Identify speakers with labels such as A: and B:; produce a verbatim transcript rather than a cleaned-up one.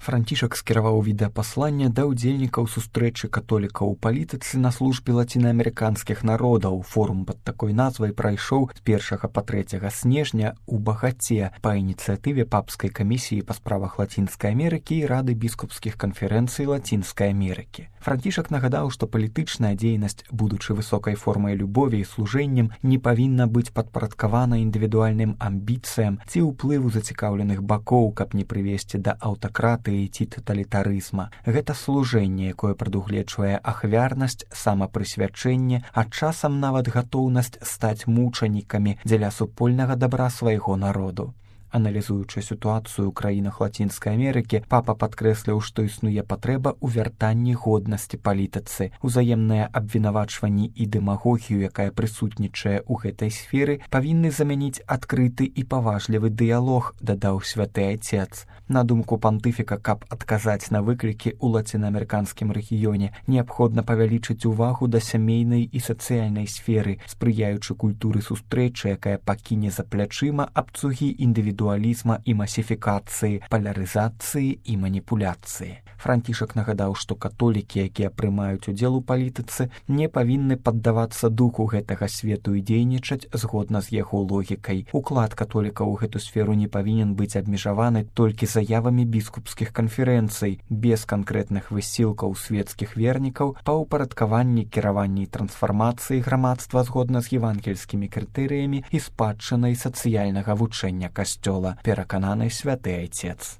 A: Францішак скіраваў відэапасланне да ўдзельнікаў сустрэчы католікаў у палітыцы на службе лацінаамерыканскіх народаў. Форум пад такой назвай прайшоў з першага па трэцяга снежня ў Багаце па ініцыятыве папскай камісіі па справах Лацінскай Амерыкі і рады біскупскіх канферэнцый Лацінскай Амерыкі. Францішак нагадаў, што палітычная дзейнасць, будучы высокай формай любові і служэннем, не павінна быць падпарадкавана індывідуальным амбіцыям ці ўплыву зацікаўленых бакоў, каб не прывесці да аўтакратыі ці таталітарызма. Гэта служэнне, якое прадугледжвае ахвярнасць, самапрысвячэнне, а часам нават гатоўнасць стаць мучанікамі дзеля супольнага дабра свайго народу. Аналізуючы сітуацыю ў краінах Лацінскай Амерыкі, папа падкрэсліў, што існуе патрэба ў вяртанні годнасці палітыцы. Узаемнае абвінавачванні і дэмагогію, якая прысутнічае ў гэтай сферы, павінны замяніць адкрыты і паважлівы дыялог, дадаў святы айцец. На думку пантыфіка, каб адказаць на выклікі ў лацінаамерыканскім рэгіёне, неабходна павялічыць увагу да сямейнай і сацыяльнай сферы, спрыяючы культуры сустрэчы, якая пакіне за плячыма абцугі індывідуалізма і масіфікацыі, палярызацыі і маніпуляцыі. Францішак нагадаў, што католікі, якія прымаюць удзел у палітыцы, не павінны паддавацца духу гэтага свету і дзейнічаць згодна з яго логікай. Уклад католікаў у гэту сферу не павінен быць абмежаваны толькі заявамі біскупскіх канферэнцый, без канкрэтных высілкаў светскіх вернікаў па ўпарадкаванні, кіраванні і трансфармацыі грамадства згодна з евангельскімі крытэрыямі і спадчынай сацыяльнага вучэння касцёла, перакананы святы айцец.